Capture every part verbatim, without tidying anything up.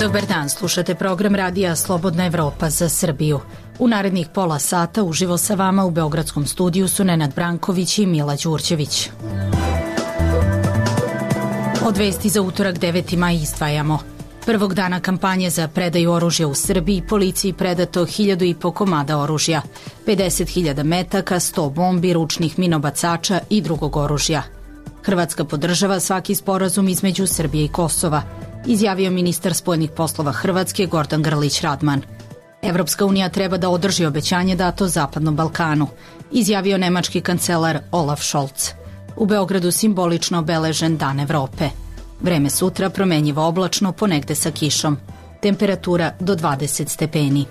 Dobar dan, slušate program radija Slobodna Evropa za Srbiju. U narednih pola sata uživo sa vama u Beogradskom studiju su Nenad Branković i Mila Đurđević. Od vesti za utorak deveti maj izdvajamo. Prvog dana kampanje za predaju oružja u Srbiji policiji predato hiljadu i po komada oružja, pedeset hiljada metaka, sto bombi, ručnih minobacača i drugog oružja. Hrvatska podržava svaki sporazum između Srbije i Kosova, izjavio ministar spoljnih poslova Hrvatske Gordan Grlić Radman. Evropska unija treba da održi obećanje dato Zapadnom Balkanu, izjavio nemački kancelar Olaf Scholz. U Beogradu simbolično obeležen Dan Evrope. Vreme sutra promenjivo oblačno, ponegde sa kišom. Temperatura do dvadeset stepeni.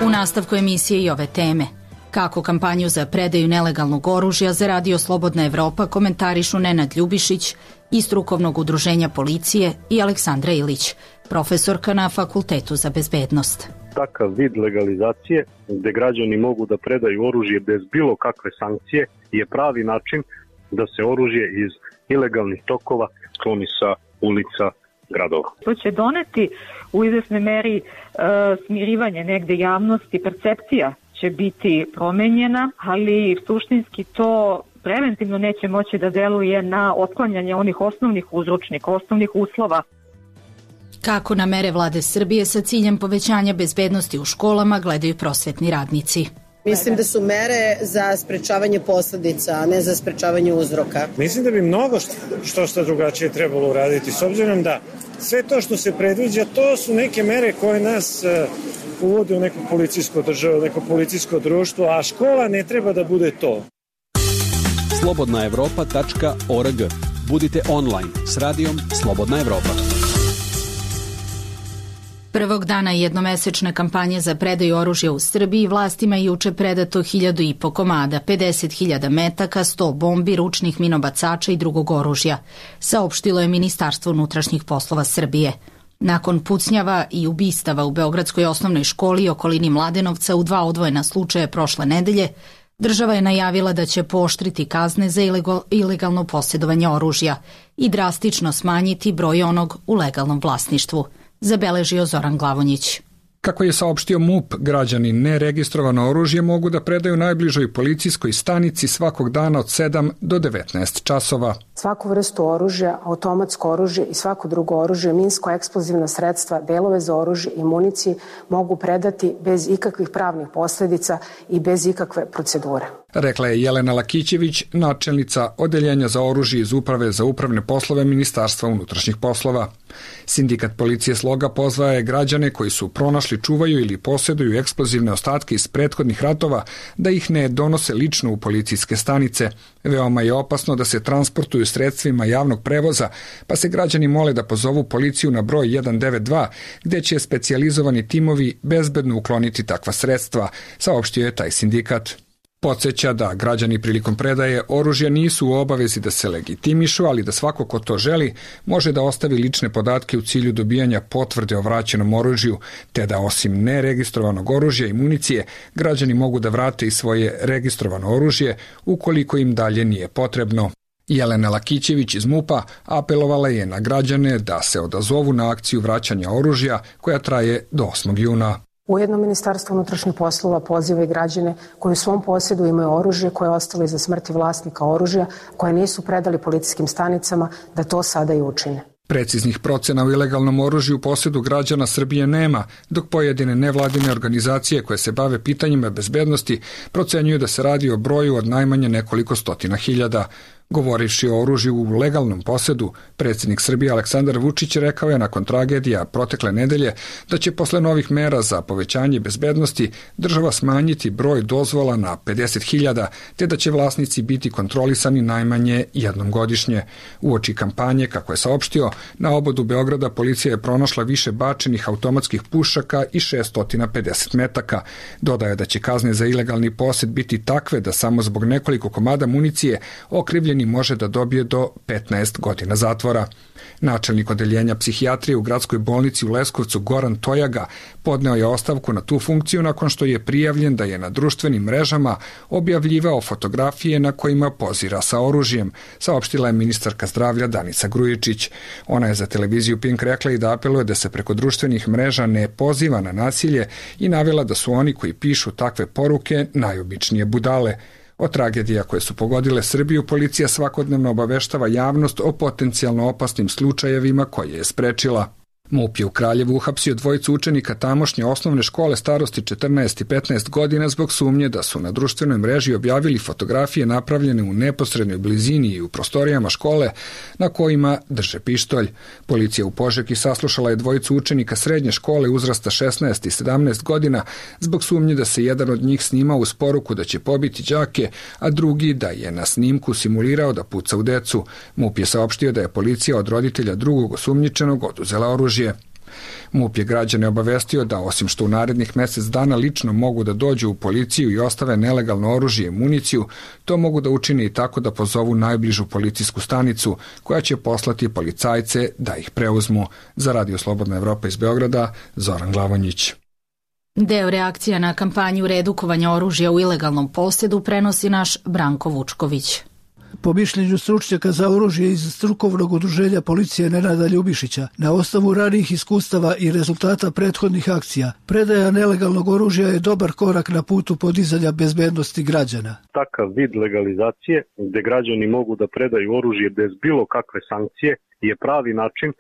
U nastavku emisije i ove teme. Kako kampanju za predaju nelegalnog oružja za radio Slobodna Evropa komentarišu Nenad Ljubišić iz strukovnog udruženja policije i Aleksandra Ilić, profesorka na Fakultetu za bezbednost. Takav vid legalizacije gde građani mogu da predaju oružje bez bilo kakve sankcije je pravi način da se oružje iz ilegalnih tokova skloni sa ulica gradova. To će doneti u izvesnoj meri e, smirivanje negde javnosti, percepcija će biti promenjena, ali suštinski to preventivno neće moći da deluje na otklanjanje onih osnovnih uzročnika, osnovnih uslova. Kako na mere vlade Srbije sa ciljem povećanja bezbednosti u školama gledaju prosvetni radnici? Mislim da su mere za sprečavanje posledica, a ne za sprečavanje uzroka. Mislim da bi mnogo što što drugačije trebalo uraditi, s obzirom da sve to što se predviđa, to su neke mere koje nas uh, uvode u neku policijsku državu, neko policijsko društvo, a škola ne treba da bude to. slobodna evropa tačka org. Budite online s radijom Slobodna Evropa. Prvog dana jednomesečne kampanje za predaju oružja u Srbiji vlastima je juče predato hiljadu i po komada, pedeset hiljada metaka, sto bombi, ručnih minobacača i drugog oružja, saopštilo je Ministarstvo unutrašnjih poslova Srbije. Nakon pucnjava i ubistava u Beogradskoj osnovnoj školi i okolini Mladenovca u dva odvojena slučaja prošle nedelje, država je najavila da će pooštriti kazne za ilegalno posjedovanje oružja i drastično smanjiti broj onog u legalnom vlasništvu, zabeležio Zoran Glavonjić. Kako je saopštio MUP, građani neregistrovano oružje mogu da predaju najbližoj policijskoj stanici svakog dana od sedam do devetnaest časova. Svaku vrstu oružja, automatsko oružje i svako drugo oružje, minsko-eksplozivna sredstva, delove za oružje i municiji mogu predati bez ikakvih pravnih posledica i bez ikakve procedure. Rekla je Jelena Lakićević, načelnica Odeljenja za oružje iz Uprave za upravne poslove Ministarstva unutrašnjih poslova. Sindikat policije Sloga pozvao je građane koji su pronašli, čuvaju ili posjeduju eksplozivne ostatke iz prethodnih ratova da ih ne donose lično u policijske stanice. Veoma je opasno da se transportuju sredstvima javnog prevoza, pa se građani mole da pozovu policiju na broj jedan devet dva, gde će specijalizovani timovi bezbedno ukloniti takva sredstva, saopštio je taj sindikat. Podseća da građani prilikom predaje oružja nisu u obavezi da se legitimišu, ali da svako ko to želi može da ostavi lične podatke u cilju dobijanja potvrde o vraćenom oružju, te da osim neregistrovanog oružja i municije, građani mogu da vrate i svoje registrovano oružje ukoliko im dalje nije potrebno. Jelena Lakićević iz MUP-a apelovala je na građane da se odazovu na akciju vraćanja oružja koja traje do osmog juna. Ujedno Ministarstvo unutrašnjih poslova poziva i građane koji u svom posjedu imaju oružje koje je ostalo iza smrti vlasnika oružja, koje nisu predali policijskim stanicama, da to sada i učine. Preciznih procena u ilegalnom oružju u posjedu građana Srbije nema, dok pojedine nevladine organizacije koje se bave pitanjima bezbednosti procenjuju da se radi o broju od najmanje nekoliko stotina hiljada. Govorivši o oružju u legalnom posjedu, predsjednik Srbije Aleksandar Vučić rekao je nakon tragedija protekle nedelje da će posle novih mera za povećanje bezbednosti država smanjiti broj dozvola na pedeset hiljada, te da će vlasnici biti kontrolisani najmanje jednom godišnje. Uoči kampanje, kako je saopštio, na obodu Beograda policija je pronašla više bačenih automatskih pušaka i šesto pedeset metaka. Dodaje da će kazne za ilegalni posjed biti takve da samo zbog nekoliko komada municije okrivljeni može da dobije do petnaest godina zatvora. Načelnik odeljenja psihijatrije u gradskoj bolnici u Leskovcu Goran Tojaga podneo je ostavku na tu funkciju nakon što je prijavljen da je na društvenim mrežama objavljivao fotografije na kojima pozira sa oružjem, saopštila je ministarka zdravlja Danica Grujičić. Ona je za televiziju Pink rekla i da apeluje da se preko društvenih mreža ne poziva na nasilje i navela da su oni koji pišu takve poruke najobičnije budale. O tragedija koje su pogodile Srbiju, policija svakodnevno obaveštava javnost o potencijalno opasnim slučajevima koje je sprečila. MUP je u Kraljevu uhapsio dvojicu učenika tamošnje osnovne škole starosti četrnaest i petnaest godina zbog sumnje da su na društvenoj mreži objavili fotografije napravljene u neposrednoj blizini i u prostorijama škole na kojima drže pištolj. Policija u Požegi saslušala je dvojicu učenika srednje škole uzrasta šesnaest i sedamnaest godina zbog sumnje da se jedan od njih snimao uz poruku da će pobiti đake, a drugi da je na snimku simulirao da puca u decu. MUP je saopštio da je policija od roditelja drugog osumnjičenog oduzela oružje. MUP je građane obavestio da osim što u narednih mjesec dana lično mogu da dođu u policiju i ostave nelegalno oružje i municiju, to mogu da učine i tako da pozovu najbližu policijsku stanicu koja će poslati policajce da ih preuzmu. Za Radio Slobodna Evropa iz Beograda, Zoran Glavonjić. Deo reakcija na kampanju redukovanja oružja u ilegalnom posjedu prenosi naš Branko Vučković. Po mišljenju stručnjaka za oružje iz strukovnog udruženja policije Nenada Ljubišića, na osnovu ranijih iskustava i rezultata prethodnih akcija, predaja nelegalnog oružja je dobar korak na putu podizanja bezbednosti građana. Takav vid legalizacije, gde građani mogu da predaju oružje bez bilo kakve sankcije, je pravi način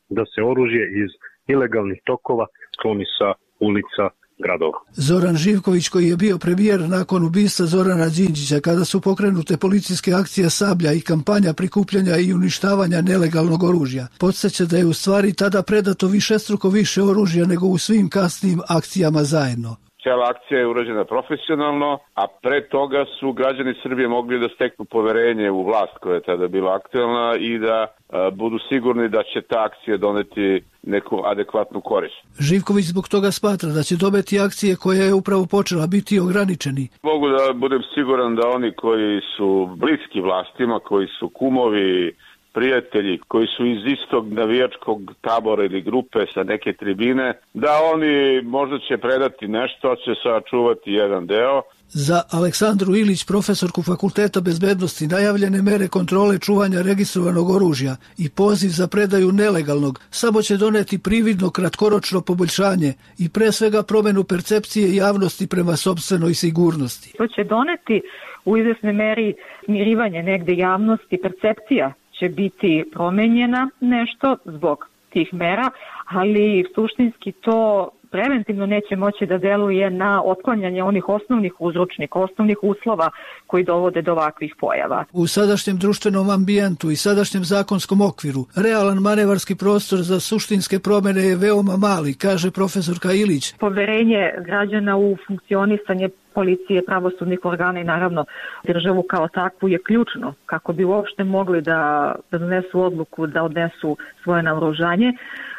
da se oružje iz ilegalnih tokova skloni sa ulica gradova. Zoran Živković, koji je bio premijer nakon ubistva Zorana Đinđića, kada su pokrenute policijske akcije Sablja i kampanja prikupljanja i uništavanja nelegalnog oružja, podsjeća da je u stvari tada predato višestruko više oružja nego u svim kasnijim akcijama zajedno. Cijela akcija je urađena profesionalno, a pre toga su građani Srbije mogli da steknu poverenje u vlast koja je tada bila aktuelna i da a, budu sigurni da će ta akcija doneti neku adekvatnu korist. Živković zbog toga smatra da će dobiti akcije koja je upravo počela biti ograničeni. Mogu da budem siguran da oni koji su bliski vlastima, koji su kumovi, prijatelji koji su iz istog navijačkog tabora ili grupe sa neke tribine, da oni možda će predati nešto, će sačuvati jedan deo. Za Aleksandru Ilić, profesorku Fakulteta bezbednosti, najavljene mere kontrole čuvanja registrovanog oružja i poziv za predaju nelegalnog samo će doneti prividno kratkoročno poboljšanje i pre svega promenu percepcije javnosti prema sopstvenoj sigurnosti. To će doneti u izvesnoj meri smirivanje negde javnosti, percepcija će biti promenjena nešto zbog tih mera, ali suštinski to preventivno neće moći da deluje na otklanjanje onih osnovnih uzročnika, osnovnih uslova koji dovode do ovakvih pojava. U sadašnjem društvenom ambijentu i sadašnjem zakonskom okviru realan manevarski prostor za suštinske promene je veoma mali, kaže profesorka Ilić. Poverenje građana u funkcionisanje policije, pravosudnih organa i naravno državu kao takvu je ključno kako bi uopšte mogli da, da donesu odluku da odnesu svoje naoružanje.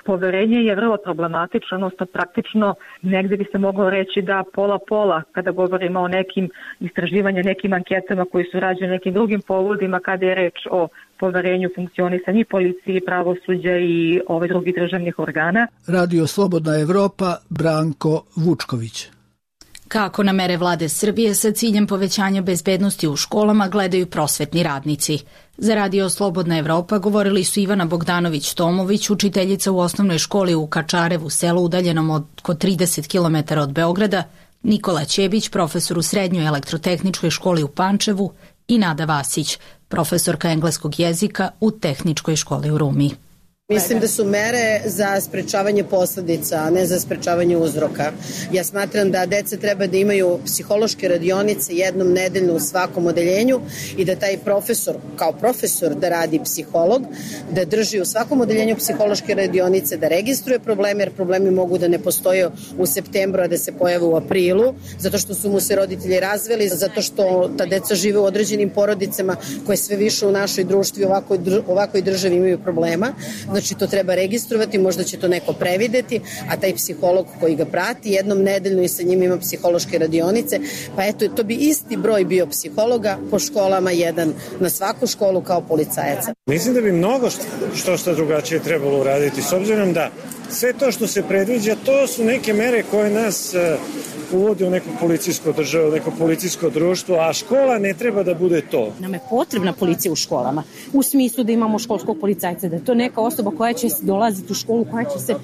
Poverenje je vrlo problematično, odnosno praktično negde bi se moglo reći da pola-pola kada govorimo o nekim istraživanjima, nekim anketama koji su rađene nekim drugim povodima kada je reč o poverenju funkcionisanja i policije, pravosuđa i ove drugih državnih organa. Radio Slobodna Evropa, Branko Vučković. Kako na mere vlade Srbije sa ciljem povećanja bezbednosti u školama gledaju prosvetni radnici. Za Radio Slobodna Evropa govorili su Ivana Bogdanović-Tomović, učiteljica u osnovnoj školi u Kačarevu, selu udaljenom oko trideset kilometara od Beograda, Nikola Ćebić, profesor u srednjoj elektrotehničkoj školi u Pančevu i Nada Vasić, profesorka engleskog jezika u tehničkoj školi u Rumi. Mislim da su mere za sprečavanje posledica, a ne za sprečavanje uzroka. Ja smatram da deca treba da imaju psihološke radionice jednom nedeljno u svakom odeljenju i da taj profesor, kao profesor, da radi psiholog, da drži u svakom odeljenju psihološke radionice, da registruje probleme, jer problemi mogu da ne postoje u septembru, a da se pojave u aprilu, zato što su mu se roditelji razveli, zato što ta deca žive u određenim porodicama koje sve više u našoj društvi ovakoj, ovakoj državi imaju problema. Znači to treba registrovati, možda će to neko prevideti, a taj psiholog koji ga prati jednom nedeljno i sa njim ima psihološke radionice, pa eto, to bi isti broj bio psihologa po školama, jedan na svaku školu kao policajaca. Mislim da bi mnogo što, što što drugačije trebalo uraditi, s obzirom da sve to što se predviđa, to su neke mere koje nas uh, uvode u neku policijsku državu, neko policijsko društvo, a škola ne treba da bude to. Nam je potrebna policija u školama, u smislu da imamo školskog policajca, da je to neka osoba koja će dolaziti u školu, koja će se...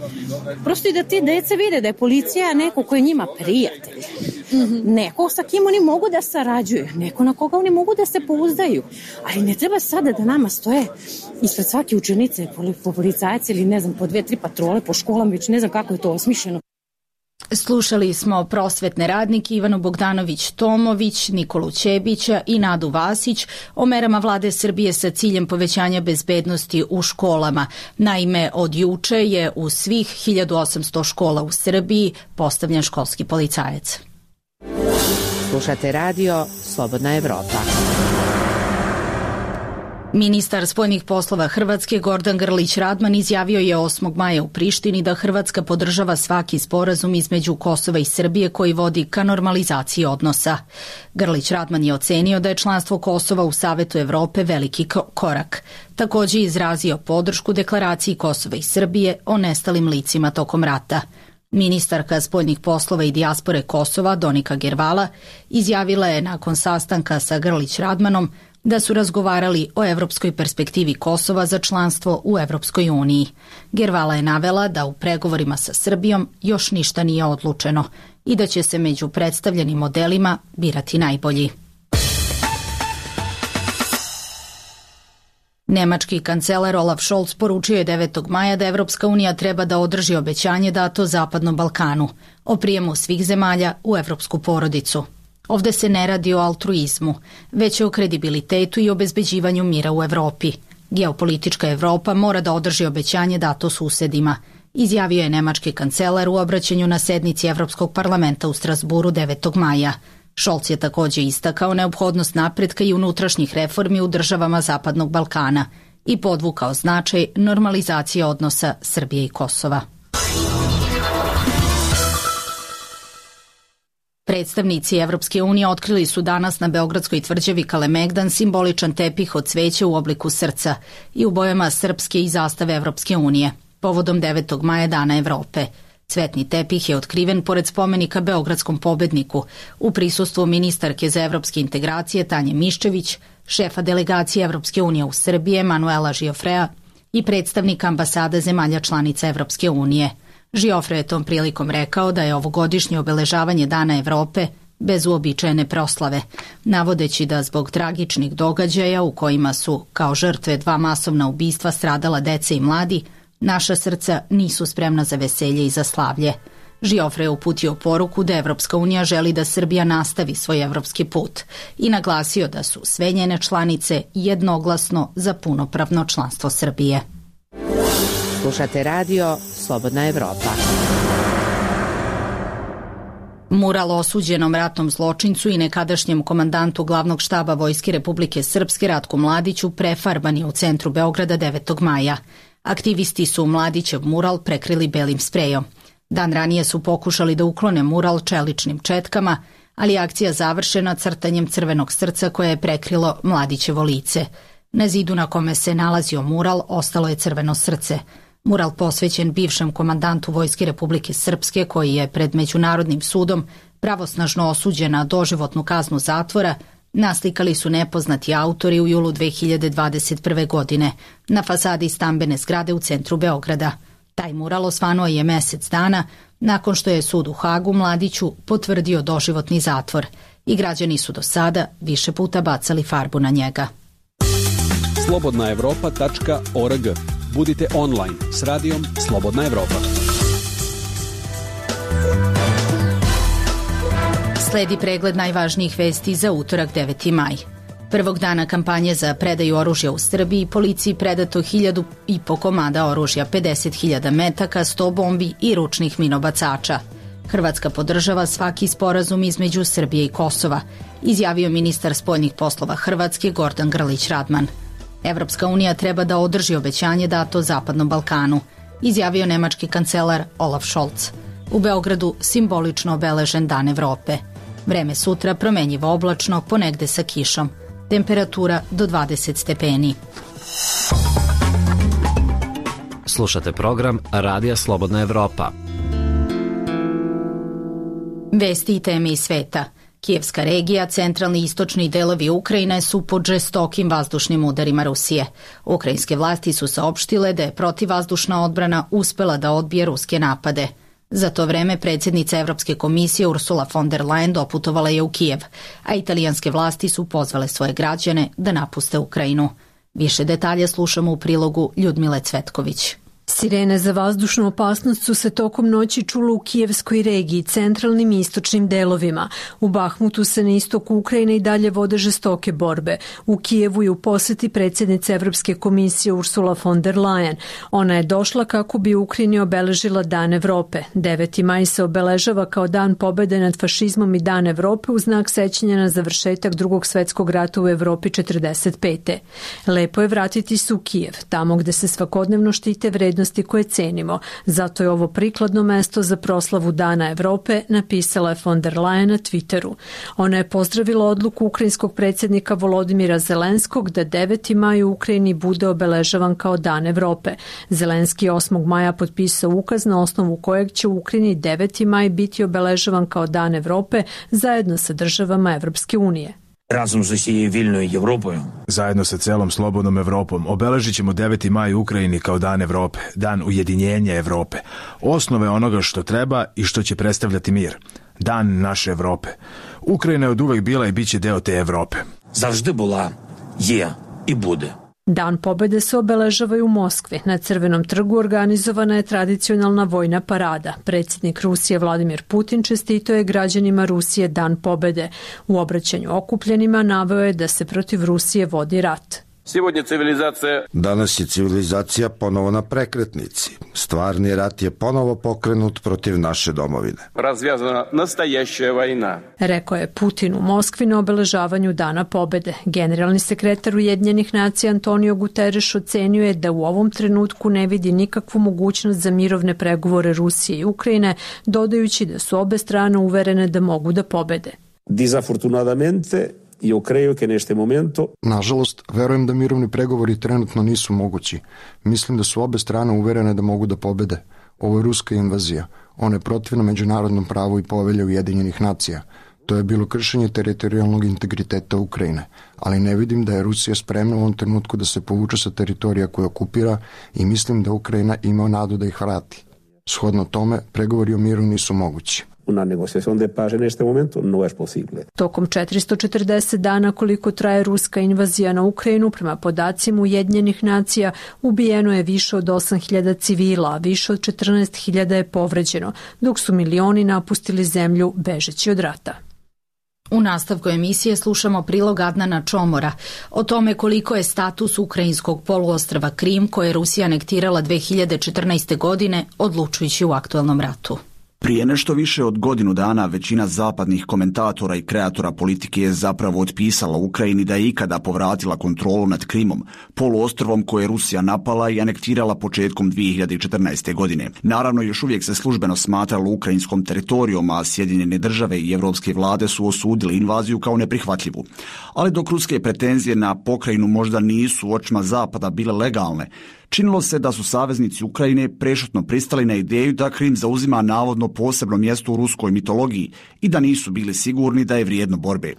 Prosto i da ti deca vide da je policija neko ko je njima prijatelj. Mm-hmm. Neko sa kim oni mogu da sarađuju, neko na koga oni mogu da se pouzdaju. Ali ne treba sada da nama stoje ispred svake učenice po policajci ili ne znam, po dve, tri patrole po školama, već ne znam kako je to osmišljeno. Slušali smo prosvetne radnike Ivanu Bogdanović-Tomović, Nikolu Ćebića i Nadu Vasić o merama vlade Srbije sa ciljem povećanja bezbednosti u školama. Naime, od juče je u svih hiljadu osamsto škola u Srbiji postavljen školski policajac. Slušate radio Slobodna Evropa. Ministar spoljnih poslova Hrvatske Gordan Grlić Radman izjavio je osmog maja u Prištini da Hrvatska podržava svaki sporazum između Kosova i Srbije koji vodi ka normalizaciji odnosa. Grlić Radman je ocenio da je članstvo Kosova u Savetu Evrope veliki korak. Takođe je izrazio podršku deklaraciji Kosova i Srbije o nestalim licima tokom rata. Ministarka spoljnih poslova i dijaspore Kosova Donika Gervala izjavila je nakon sastanka sa Grlić Radmanom da su razgovarali o evropskoj perspektivi Kosova za članstvo u Evropskoj uniji. Gervala je navela da u pregovorima sa Srbijom još ništa nije odlučeno i da će se među predstavljenim modelima birati najbolji. Nemački kancelar Olaf Scholz poručio je devetog maja da Evropska unija treba da održi obećanje dato Zapadnom Balkanu o prijemu svih zemalja u evropsku porodicu. Ovde se ne radi o altruizmu, već o kredibilitetu i obezbeđivanju mira u Evropi. Geopolitička Evropa mora da održi obećanje dato susedima, izjavio je nemački kancelar u obraćanju na sednici Evropskog parlamenta u Strasburu devetog maja. Scholz je takođe istakao neophodnost napretka i unutrašnjih reformi u državama Zapadnog Balkana i podvukao značaj normalizacije odnosa Srbije i Kosova. Predstavnici Evropske unije otkrili su danas na beogradskoj tvrđavi Kalemegdan simboličan tepih od cveća u obliku srca i u bojama srpske i zastave Evropske unije, povodom devetog maja Dana Evrope. Cvetni tepih je otkriven pored spomenika beogradskom pobedniku u prisustvu ministarke za evropske integracije Tanje Miščević, šefa delegacije Evropske unije u Srbiji Manuela Žiofrea i predstavnika ambasada zemalja članica Evropske unije. Žiofre je tom prilikom rekao da je ovogodišnje obeležavanje Dana Evrope bez uobičajene proslave, navodeći da zbog tragičnih događaja u kojima su kao žrtve dva masovna ubistva stradala deca i mladi, naša srca nisu spremna za veselje i za slavlje. Žiofre je uputio poruku da Evropska unija želi da Srbija nastavi svoj evropski put i naglasio da su sve njene članice jednoglasno za punopravno članstvo Srbije. Slušate radio Slobodna Evropa. Mural osuđenom ratnom zločincu i nekadašnjem komandantu glavnog štaba Vojske Republike Srpske Ratku Mladiću prefarban je u centru Beograda devetog maja. Aktivisti su Mladićev mural prekrili belim sprejom. Dan ranije su pokušali da uklone mural čeličnim četkama, ali je akcija završena crtanjem crvenog srca koje je prekrilo Mladićevo lice. Na zidu na kome se nalazio mural ostalo je crveno srce. Mural posvećen bivšem komandantu Vojske Republike Srpske koji je pred Međunarodnim sudom pravosnažno osuđen na doživotnu kaznu zatvora, naslikali su nepoznati autori u julu dve hiljade dvadeset prve. godine na fasadi stambene zgrade u centru Beograda. Taj mural osvanuo je mesec dana nakon što je sud u Hagu Mladiću potvrdio doživotni zatvor i građani su do sada više puta bacali farbu na njega. slobodna evropa tačka org. Budite online s radijom Slobodna Evropa. Sledi pregled najvažnijih vesti za utorak deveti maj. Prvog dana kampanje za predaju oružja u Srbiji policiji predato hiljadu i po komada oružja, pedeset hiljada metaka, sto bombi i ručnih minobacača. Hrvatska podržava svaki sporazum između Srbije i Kosova, izjavio ministar spoljnih poslova Hrvatske Gordan Grlić Radman. Evropska unija treba da održi obećanje dato Zapadnom Balkanu, izjavio nemački kancelar Olaf Scholz. U Beogradu simbolično obeležen Dan Evrope. Vreme sutra promenjivo oblačno, ponegde sa kišom. Temperatura do dvadeset stepeni. Slušate program Radija Slobodna Evropa. Vesti i teme iz sveta. Kijevska regija, centralni i istočni delovi Ukrajine su pod žestokim vazdušnim udarima Rusije. Ukrajinske vlasti su saopštile da je protivvazdušna odbrana uspela da odbije ruske napade. Za to vreme predsjednica Evropske komisije Ursula von der Leyen doputovala je u Kijev, a italijanske vlasti su pozvale svoje građane da napuste Ukrajinu. Više detalja slušamo u prilogu Ljudmile Cvetković. Sirene za vazdušnu opasnost su se tokom noći čule u kijevskoj regiji, centralnim i istočnim delovima. U Bahmutu se na istoku Ukrajine i dalje vode žestoke borbe. U Kijevu je u posjeti predsjednice Evropske komisije Ursula von der Leyen. Ona je došla kako bi Ukrajini obeležila Dan Evrope. deveti maj se obeležava kao dan pobjede nad fašizmom i Dan Evrope u znak sećanja na završetak Drugog svjetskog rata u Evropi četrdeset pete. Lepo je vratiti se u Kijev, tamo gde se svakodnevno štite vrednosti koje cenimo. Zato je ovo prikladno mesto za proslavu Dana Evrope, napisala je von der Leyen na Twitteru. Ona je pozdravila odluku ukrajinskog predsjednika Volodimira Zelenskog da deveti maj u Ukrajini bude obeležavan kao Dan Evrope. Zelenski je osmog maja potpisao ukaz na osnovu kojeg će u Ukrajini deveti maj biti obeležavan kao Dan Evrope zajedno sa državama Evropske unije. Razom s усією вільною Європою. Zajedno sa celom slobodnom Evropom obeležit ćemo deveti maj u Ukrajini kao Dan Evrope, dan ujedinjenja Evrope, osnove onoga što treba i što će predstavljati mir, dan naše Evrope. Ukrajina je od uvek bila i bit će deo te Evrope. Завжди була, є і буде. Dan pobjede se obeležava i u Moskvi. Na Crvenom trgu organizovana je tradicionalna vojna parada. Predsjednik Rusije Vladimir Putin čestitao je građanima Rusije Dan pobjede. U obraćanju okupljenima naveo je da se protiv Rusije vodi rat. Danas je civilizacija ponovo na prekretnici. Stvarni rat je ponovo pokrenut protiv naše domovine. Razvjazana nastajašća vojna. Rekao je Putin u Moskvi na obeležavanju Dana pobjede. Generalni sekretar Ujedinjenih nacija Antonio Guterres ocenio je da u ovom trenutku ne vidi nikakvu mogućnost za mirovne pregovore Rusije i Ukrajine, dodajući da su obe strane uverene da mogu da pobede. Desafortunadamente, io credo che neste momento... Nažalost, verujem da mirovni pregovori trenutno nisu mogući. Mislim da su obe strane uverene da mogu da pobede. Ovo je ruska invazija. Ona je protivna međunarodnom pravu i povelje Ujedinjenih nacija. To je bilo kršenje teritorijalnog integriteta Ukrajine, ali ne vidim da je Rusija spremna u ovom trenutku da se povuče sa teritorija koje okupira i mislim da Ukrajina ima nadu da ih vrati. Shodno tome, pregovori o miru nisu mogući. Una negociación de paz en este momento no es posible. Tokom četiristo četrdeset dana koliko traje ruska invazija na Ukrajinu, prema podacima Ujedinjenih nacija, ubijeno je više od osam hiljada civila, a više od četrnaest hiljada je povređeno, dok su milioni napustili zemlju bežeći od rata. U nastavku emisije slušamo prilog Adnana Čomora o tome koliko je status ukrajinskog poluostrva Krim, koje je Rusija anektirala dve hiljade četrnaeste. godine, odlučujući u aktuelnom ratu. Prije nešto više od godinu dana većina zapadnih komentatora i kreatora politike je zapravo otpisala Ukrajini da je ikada povratila kontrolu nad Krimom, poluostrvom koje je Rusija napala i anektirala početkom dve hiljade četrnaeste. godine. Naravno, još uvijek se službeno smatralo ukrajinskom teritorijom, a Sjedinjene države i evropske vlade su osudili invaziju kao neprihvatljivu. Ali dok ruske pretenzije na pokrajinu možda nisu u očima Zapada bile legalne, činilo se da su saveznici Ukrajine prešutno pristali na ideju da Krim zauzima navodno posebno mjesto u ruskoj mitologiji i da nisu bili sigurni da je vrijedno borbe.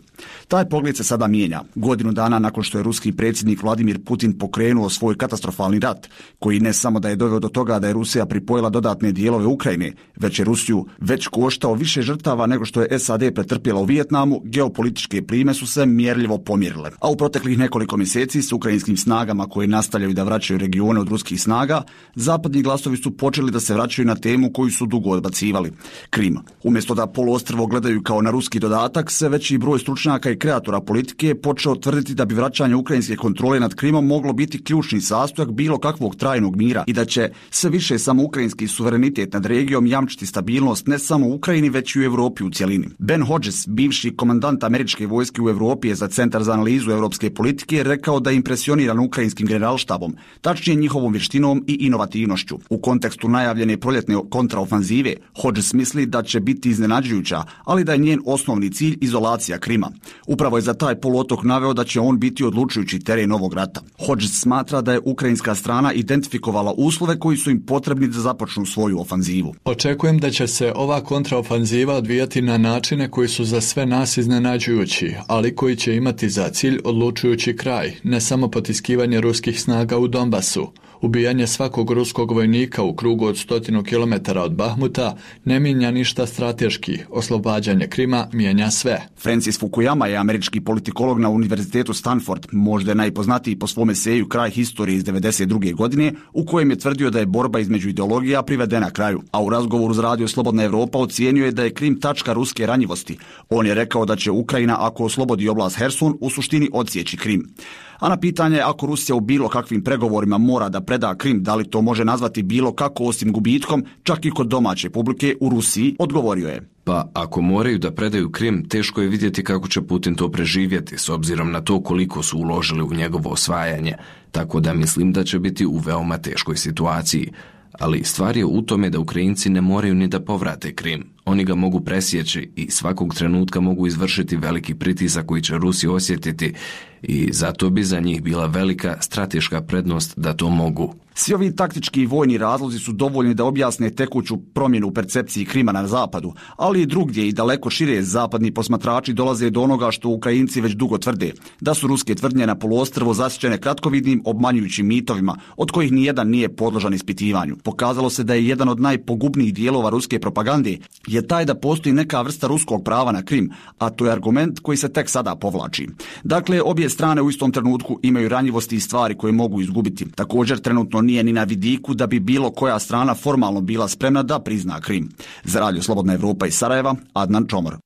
Taj pogled se sada mijenja. Godinu dana nakon što je ruski predsjednik Vladimir Putin pokrenuo svoj katastrofalni rat, koji ne samo da je doveo do toga da je Rusija pripojila dodatne dijelove Ukrajine, već je Rusiju već koštao više žrtava nego što je S A D pretrpjela u Vijetnamu, geopolitičke plime su se mjerljivo pomjerile. A u proteklih nekoliko mjeseci s ukrajinskim snagama koje nastavljaju da vraćaju regione od ruskih snaga, zapadni glasovi su počeli da se vraćaju na temu koju su dugo odbacivali. Krim. Umjesto da poluostrvo gledaju kao na ruski dodatak, sve veći broj stručnjaka i kreatora politike je počeo tvrditi da bi vraćanje ukrajinske kontrole nad Krimom moglo biti ključni sastojak bilo kakvog trajnog mira i da će sve više samo ukrajinski suverenitet nad regijom jamčiti stabilnost ne samo u Ukrajini, već i u Europi u cjelini. Ben Hodges, bivši komandant američke vojske u Europi je za Centar za analizu europske politike rekao da je impresioniran ukrajinskim generalštabom, tačnije njihovom vještinom i inovativnošću. U kontekstu najavljene proljetne kontraofanzive, Hodges misli da će biti iznenađujuća, ali da je njen osnovni cilj izolacija Krima. Upravo je za taj poluotok naveo da će on biti odlučujući teren ovog rata. Hodges smatra da je ukrajinska strana identifikovala uslove koji su im potrebni da započnu svoju ofanzivu. Očekujem da će se ova kontraofanziva odvijati na načine koji su za sve nas iznenađujući, ali koji će imati za cilj odlučujući kraj, ne samo potiskivanje ruskih snaga u Donbasu. Ubijanje svakog ruskog vojnika u krugu od stotinu kilometara od Bahmuta ne mijenja ništa strateški. Oslobađanje Krima mijenja sve. Francis Fukuyama je američki politikolog na Univerzitetu Stanford, možda je najpoznatiji po svom eseju Kraj historije iz devedeset druge godine, u kojem je tvrdio da je borba između ideologija privedena kraju, a u razgovoru s Radio Slobodna Evropa ocijenio je da je Krim tačka ruske ranjivosti. On je rekao da će Ukrajina, ako oslobodi oblast Herson, u suštini odsjeći Krim. A na pitanje ako Rusija u bilo kakvim pregovorima mora da preda Krim, da li to može nazvati bilo kako osim gubitkom, čak i kod domaće publike u Rusiji, odgovorio je. Pa ako moraju da predaju Krim, teško je vidjeti kako će Putin to preživjeti s obzirom na to koliko su uložili u njegovo osvajanje, tako da mislim da će biti u veoma teškoj situaciji. Ali stvar je u tome da Ukrajinci ne moraju ni da povrate Krim. Oni ga mogu presjeći i svakog trenutka mogu izvršiti veliki pritisak koji će Rusi osjetiti i zato bi za njih bila velika strateška prednost da to mogu. Svi ovi taktički i vojni razlozi su dovoljni da objasne tekuću promjenu u percepciji Krima na zapadu, ali i drugdje i daleko šire zapadni posmatrači dolaze do onoga što Ukrajinci već dugo tvrde, da su ruske tvrdnje na poluostrvu zasićene kratkovidnim, obmanjujućim mitovima, od kojih nijedan nije podložan ispitivanju. Pokazalo se da je jedan od najpogubnijih dijelova ruske propagande je taj da postoji neka vrsta ruskog prava na Krim, a to je argument koji se tek sada povlači. Dakle, obje strane u istom trenutku imaju ranjivosti i stvari koje mogu izgubiti. Također, trenutno nije ni na vidiku da bi bilo koja strana formalno bila spremna da prizna Krim. Za Radio Slobodna Evropa iz Sarajeva, Adnan Čomor.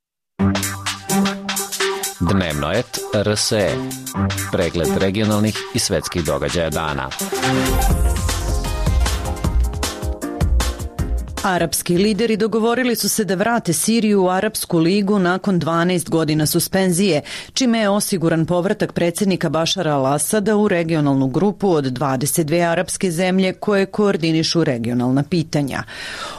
Dnevno et R S E. Pregled regionalnih i svetskih događaja dana. Arapski lideri dogovorili su se da vrate Siriju u Arapsku ligu nakon dvanaest godina suspenzije, čime je osiguran povratak predsjednika Bašara al-Asada u regionalnu grupu od dvadeset dve arapske zemlje koje koordinišu regionalna pitanja.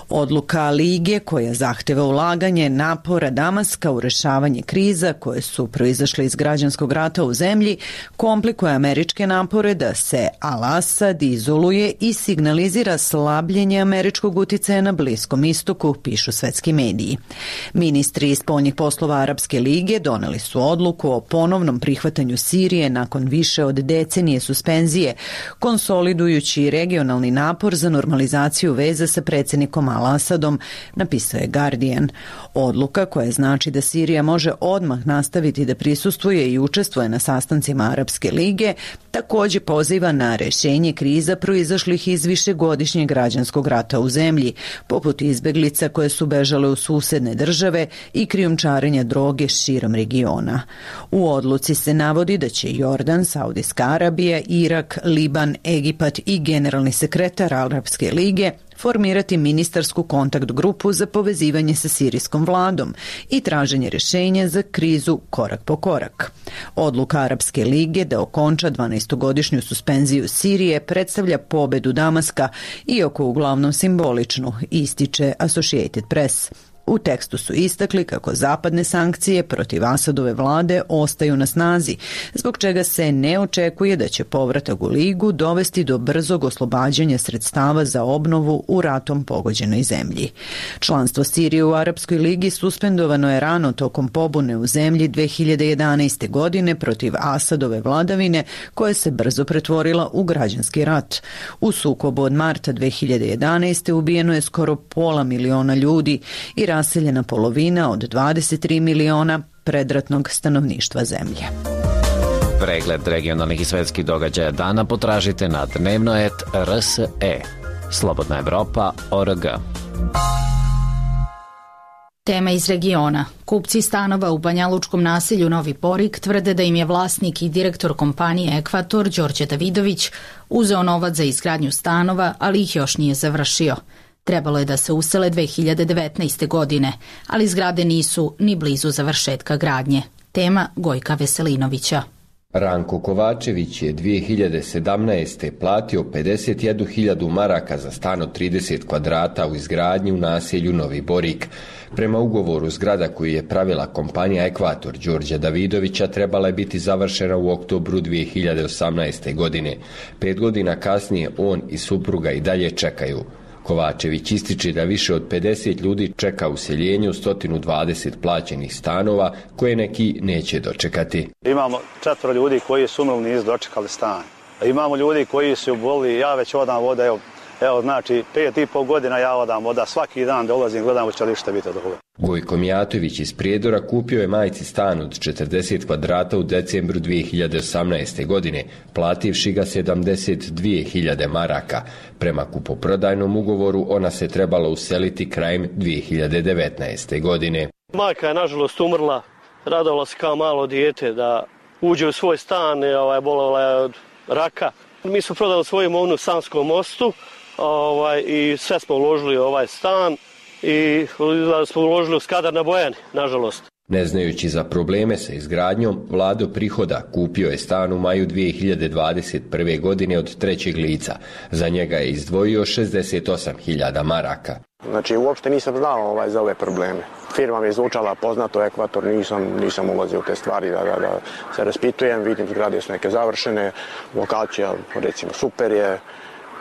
Odluka Lige, koja zahteva ulaganje napora Damaska u rešavanje kriza koje su proizašle iz građanskog rata u zemlji, komplikuje američke napore da se al-Asad izoluje i signalizira slabljenje američkog uticaja na Bliskom istoku, pišu svetski mediji. Ministri spoljnih poslova Arapske lige doneli su odluku o ponovnom prihvatanju Sirije nakon više od decenije suspenzije, konsolidujući regionalni napor za normalizaciju veza sa predsjednikom al-Asadom, napisao je Guardian. Odluka koja znači da Sirija može odmah nastaviti da prisustvuje i učestvuje na sastancima Arapske lige, također poziva na rešenje kriza proizašlih iz višegodišnjeg građanskog rata u zemlji, poput izbeglica koje su bežale u susedne države i krijumčarenja droge širom regiona. U odluci se navodi da će Jordan, Saudijska Arabija, Irak, Liban, Egipat i generalni sekretar Arapske lige formirati ministarsku kontakt grupu za povezivanje sa sirijskom vladom i traženje rješenja za krizu korak po korak. Odluka Arapske lige da okonča dvanaestogodišnju suspenziju Sirije predstavlja pobedu Damaska, iako uglavnom simboličnu, ističe Associated Press. U tekstu su istakli kako zapadne sankcije protiv Asadove vlade ostaju na snazi, zbog čega se ne očekuje da će povratak u ligu dovesti do brzog oslobađanja sredstava za obnovu u ratom pogođenoj zemlji. Članstvo Sirije u Arapskoj ligi suspendovano je rano tokom pobune u zemlji dve hiljade jedanaeste. godine protiv Asadove vladavine, koja se brzo pretvorila u građanski rat. U sukobu od marta dve hiljade jedanaeste. ubijeno je skoro pola miliona ljudi i raseljena polovina od dvadeset tri miliona predratnog stanovništva zemlje. Pregled regionalnih i svetskih događaja dana potražite na dnevno et R S E. Slobodna Evropa, O R G. Tema iz regiona. Kupci stanova u banjalučkom naselju Novi Porik tvrde da im je vlasnik i direktor kompanije Ekvator, Đorđe Davidović, uzeo novac za izgradnju stanova, ali ih još nije završio. Trebalo je da se usele dve hiljade devetnaeste. godine, ali zgrade nisu ni blizu završetka gradnje. Tema Gojka Veselinovića. Ranko Kovačević je dvije hiljade sedamnaeste. platio pedeset jednu hiljadu maraka za stan od trideset kvadrata u izgradnji u naselju Novi Borik. Prema ugovoru, zgrada koju je pravila kompanija Ekvator Đorđa Davidovića trebala je biti završena u oktobru dvije hiljade osamnaeste. godine. Pet godina kasnije on i supruga i dalje čekaju. Kovačević ističe da više od pedeset ljudi čeka useljenje u sto dvadeset plaćenih stanova koje neki neće dočekati. Imamo četvoro ljudi koji su umrli, nisu dočekali stan. Imamo ljudi koji su boli, ja već odam voda, evo, evo znači pet i pol godina ja odam voda, svaki dan dolazim, gledam hoće li šta biti od ovoga. Gojko Mijatović iz Prijedora kupio je majci stan od četrdeset kvadrata u decembru dvije hiljade osamnaeste. godine, plativši ga sedamdeset dvije hiljade maraka. Prema kupoprodajnom ugovoru ona se trebala useliti krajem dvije hiljade devetnaeste. godine. Majka je nažalost umrla, radovala se kao malo dijete da uđe u svoj stan, ovaj, bolovala je od raka. Mi smo prodali svoju imovinu u Sanskom mostu ovaj, i sve smo uložili u ovaj stan i smo uložili u Skadar na Bojani, nažalost. Ne znajući za probleme sa izgradnjom, Vlado Prihoda kupio je stan u maju dvije hiljade dvadeset prve. godine od trećeg lica. Za njega je izdvojio šezdeset osam hiljada maraka. Znači, uopšte nisam znao ovaj, za ove probleme. Firma mi je zvučala poznato, Ekvator, nisam, nisam ulazio u te stvari da, da, da se raspitujem, vidim zgrade su neke završene, lokacija recimo super je,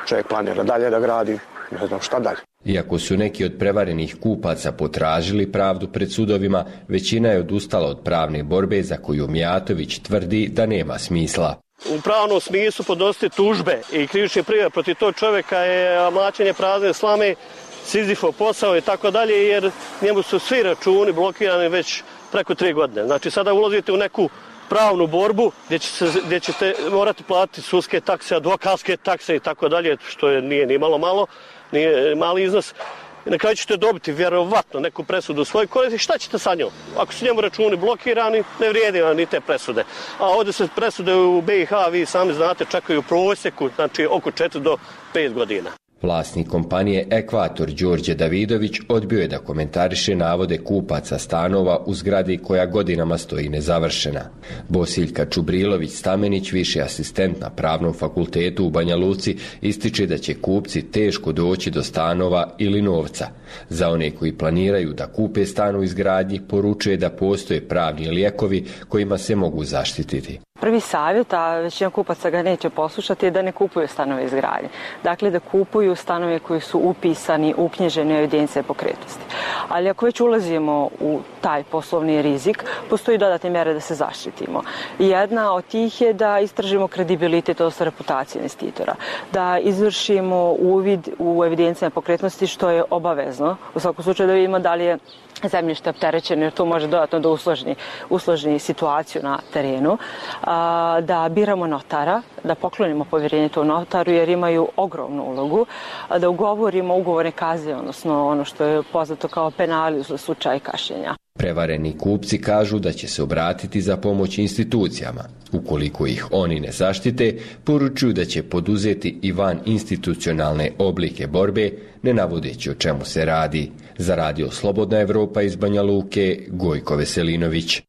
čovjek planira dalje da gradi, ne znam šta dalje. Iako su neki od prevarenih kupaca potražili pravdu pred sudovima, većina je odustala od pravne borbe za koju Mijatović tvrdi da nema smisla. U pravnom smislu podnositi tužbe i krivične prijave protiv tog čovjeka je mlaćenje prazne slame, Sizifov posao i tako dalje, jer njemu su svi računi blokirani već preko tri godine. Znači sada ulazite u neku pravnu borbu gdje, će se, gdje ćete morati platiti sudske takse, advokatske takse i tako dalje, što je, nije ni malo malo, nije mali iznos. I na kraju ćete dobiti vjerovatno neku presudu u svojoj koristi. Šta ćete sa njom? Ako su njemu računi blokirani, ne vrijedi vam ni te presude. A ovdje se presude u B i H, vi sami znate, čekaju u prosjeku, znači oko četiri do pet godina. Vlasnik kompanije Ekvator Đorđe Davidović odbio je da komentariše navode kupaca stanova u zgradi koja godinama stoji nezavršena. Bosiljka Čubrilović Stamenić, viši asistent na Pravnom fakultetu u Banja Luci, ističe da će kupci teško doći do stanova ili novca. Za one koji planiraju da kupe stan u izgradnji, poručuje da postoje pravni lijekovi kojima se mogu zaštititi. Prvi savjet, a većina kupaca ga neće poslušati, je da ne kupuju stanove izgradnje. Dakle, da kupuju stanove koji su upisani, uknjiženi u evidencije pokretnosti. Ali ako već ulazimo u taj poslovni rizik, postoji dodatne mjere da se zaštitimo. Jedna od tih je da istražimo kredibilitet, odnosno reputaciju investitora, da izvršimo uvid u evidencije pokretnosti, što je obavezno. U svakom slučaju da vidimo da li je zemljište opterećeno, jer to može dodatno da usložni, usložni situaciju na terenu, a, da biramo notara, da poklonimo povjerenje tom notaru jer imaju ogromnu ulogu, a, da ugovorimo ugovorne kazne, odnosno ono što je poznato kao penali u slučaju kašnjenja. Prevareni kupci kažu da će se obratiti za pomoć institucijama. Ukoliko ih oni ne zaštite, poručuju da će poduzeti i van institucionalne oblike borbe, ne navodeći o čemu se radi. Za radio Slobodna Evropa iz Banja Luke, Gojko Veselinović.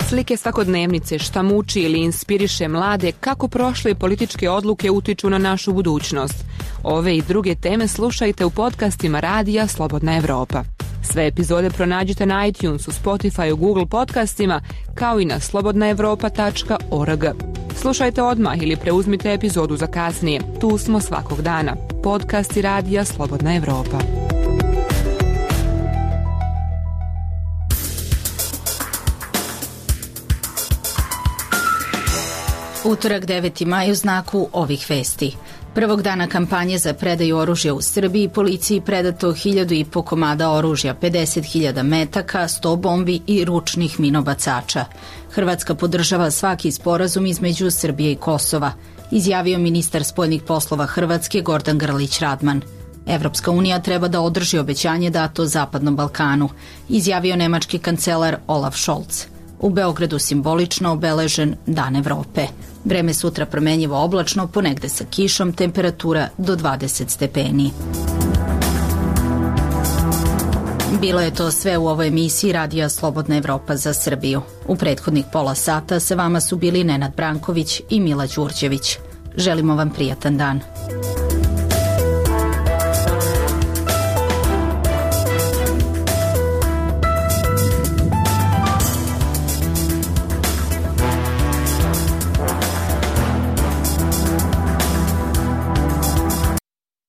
Slike svakodnevnice, šta muči ili inspiriše mlade, kako prošle političke odluke utiču na našu budućnost. Ove i druge teme slušajte u podcastima radija Slobodna Evropa. Sve epizode pronađite na iTunesu, Spotifyu, Google podcastima, kao i na slobodna evropa tačka org. Slušajte odmah ili preuzmite epizodu za kasnije. Tu smo svakog dana. Podcasti radija Slobodna Evropa. Utorak deveti maj u znaku ovih vesti. Prvog dana kampanje za predaju oružja u Srbiji policiji predato hiljadu i po komada oružja, pedeset hiljada metaka, sto bombi i ručnih minobacača. Hrvatska podržava svaki sporazum između Srbije i Kosova, izjavio ministar spoljnih poslova Hrvatske Gordan Grlić Radman. Evropska unija treba da održi obećanje dato Zapadnom Balkanu, izjavio nemački kancelar Olaf Scholz. U Beogradu simbolično obeležen Dan Evrope. Vreme sutra promenjivo oblačno, ponegde sa kišom, temperatura do dvadeset stepeni. Bilo je to sve u ovoj emisiji Radija Slobodna Evropa za Srbiju. U prethodnih pola sata sa vama su bili Nenad Branković i Mila Đurđević. Želimo vam prijatan dan.